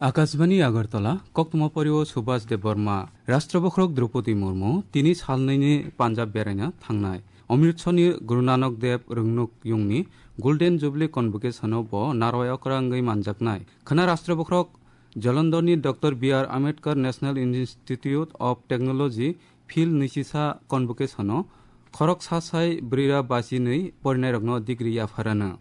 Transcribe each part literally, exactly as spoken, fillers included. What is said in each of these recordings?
Akashbani Agartala, koktwma porio Subhas Debbarma. Rashtra bokhorok Draupadi Murmu tini salnwini Punjab beraina thangnai. Amritsarni Guru Nanak Dev Rwngnuk Yungni Golden Jubilee Convocation-o bo narwai okra wngwi manjaknai. Khwna Rashtra bokhorok Jalandharni Doctor B R Ambedkar National Institute of Technology Phil nwisisa Convocation-o khorok sa sai brwi ra basi nwi porinairokno degree yapharano.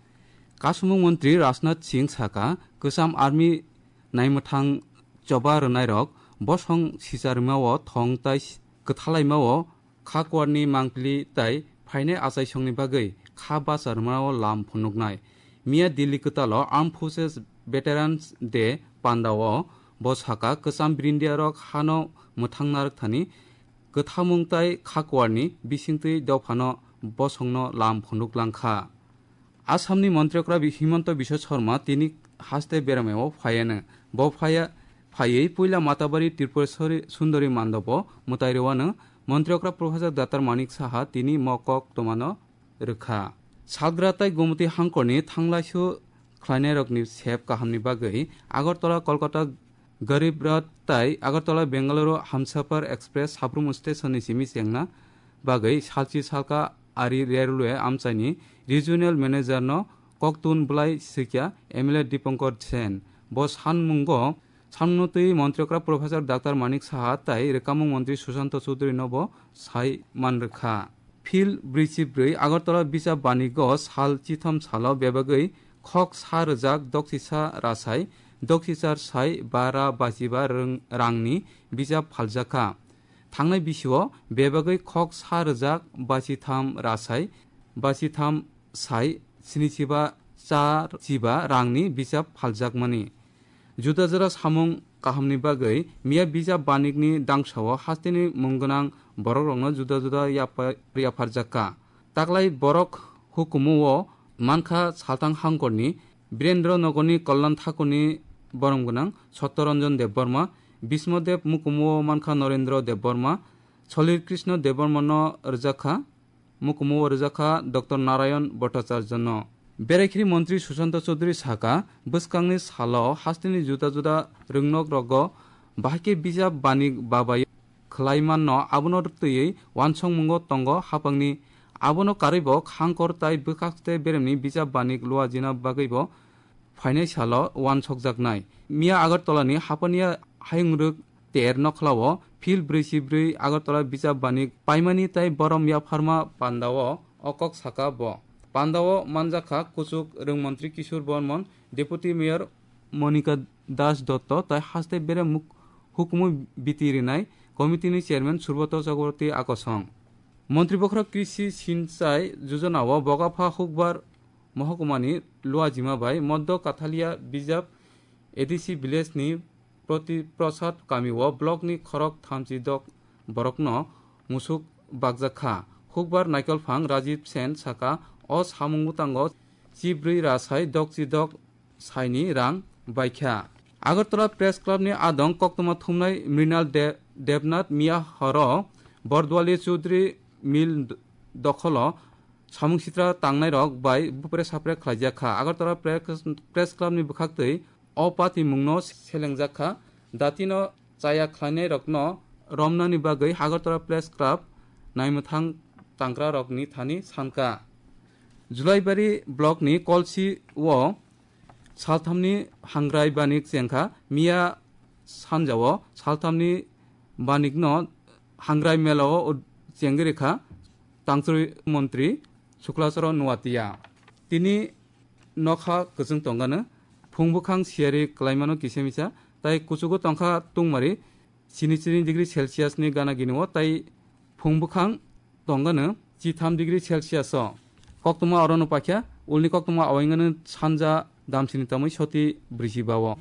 Kasumung Montri Rajnath Singh saka, Kwcham Army naimwthang choba rwnairok bosong sicha rwmao thong tai kwthalaimao kha kuarni mangpili tai phainai achaisongni bagwi kha bacha rwmao lam phunuknai. Miya Delhi kwtalo Armed Forces Veterans Day pandao bo saka, Kwcham Brindiarok hano mwthang narwkthani kwthamung tai kha kuarni bisingtwi dophano bosongno lam phunuk langkha. Assamni Montri Okra Bi-, Himanta Biswa Sarma tini haste beramao phaiano. Bo phaya, phaiwi puila Matabari Tripureshwari Sundari Mandobo mwtai rwano. Montri Okra Professor Doctor Manik Saha tini mokok twmano rwkha. Salgra tai Gomoti hangkorni thanglaisu khlainairokni sep kahamni bagwi Agartala Kolkata Garib Rath tai Agartala Bengaluru Hamsafar Express Sabrum Station ni simi chengna bagwi salchi salka ari railway amchaini regional manager no koktun bwlai swikya M L A Dipankar Sen. Bo sanmungo sanmungno twi Montri Okra Professor Doctor Manik Saha tai Rwkamung Montri Sushanta Chowdhury no bo sai manrwkha. Phil brwi chi brwi Agartala Bijap Banigo sal chitham salo bebagwi khok sa rwjak doksisa rasai, doksichar sai bara bachiba rwng-, rangni bijap phaljakha. Thangnai bisio bebagwi khok sa rwjak bachitham rasai, bachitham sai sinichiba char chiba rangni bijap phaljakmani. Juda juda samung kahamni bagwi miya Bijap Banikni dangsao hasteni mung gwnang borokrokno juda juda yapha-, yapharjakha. Taklai borok hukumu o mankha Salthang Hangkorni Birendra Nogorni Kallan Thakurni borom gwnang Satyaranjan Debbarma, Bismo Deb mukumu o mankha Narendra Debbarma, Solir Krishna Debbarmano rwjakha. Mukumu o rwjakha Doctor Narayan Bhattacharya no. Berekhiri Montri Sushanta Chowdhury saka, bwskangni salo hasteni juda juda rwngnok rogo bahai khe Bijap Banik babai khlai manno, abono twiwi wansongmungo tongo haphangni. Abono karwibo Khangkor tai bwkhakste beremni Bijap Banik luajina bagwibo phainai salo wansokjaknai. Miya Agartala ni Hapania Hayungrwk ter nokhlao Phil brwi chi brwi Agartala Bijap Banik paimani tai borom yapharma pandao o kok saka bo. Pandao manjakha kuchuk rwng montri Kishore Bormon, Deputy Mayor Monika Das Dotto tai haste bere muk-, hukumu biti rinai committee ni chairman Surbroto Chakraborty akosong. Montri bokhorok Krishi Sinchai Jojona o Bokapha Hukbar Mohokumani Luajima bai Moddo Kathalia Bijap A D C village ni Proti Prasad kami o block ni khorok thamchi dok borokno musuk bakjak kha. Hukbar Naikolphang Rajiv Sen saka, o samung bwtango chibrwi rasai dokchi dok saini rang baikha. Agartala Press Club ni adong koktwma thumnai Mrinal De-, Debnath miya horo Bordwali Chaudhary Mill d-, dokholo samung sitra tangnairok bai bupre sapre khlaijak kha. Agartala Press, Press Club ni bwkhaktwi o patimungno selengjak kha. Datino chaya khlainairokno romnani bagwi Agartala Press Club naimwthang tangkrarokni thani sankha. Julaibari block ni Kolsi o Salthamni hangrai banik chengkha, miya sanjao salthamni banikno hangrai melao chengwi rikha tangchwrwi montri Sukla Charan Noatia. Tini nokha kwchwng tongano, phung bwkhang siyari klaimano kisa misa, tai kuchugo tongkha tungmari sini chini degree Celsius ni gana gini o, tai phung bwkhang tongano chitham degree Celsius o. Koktwma orono pakya, ulni koktwma awaingano sanja damsini tamwi soti brisi bao.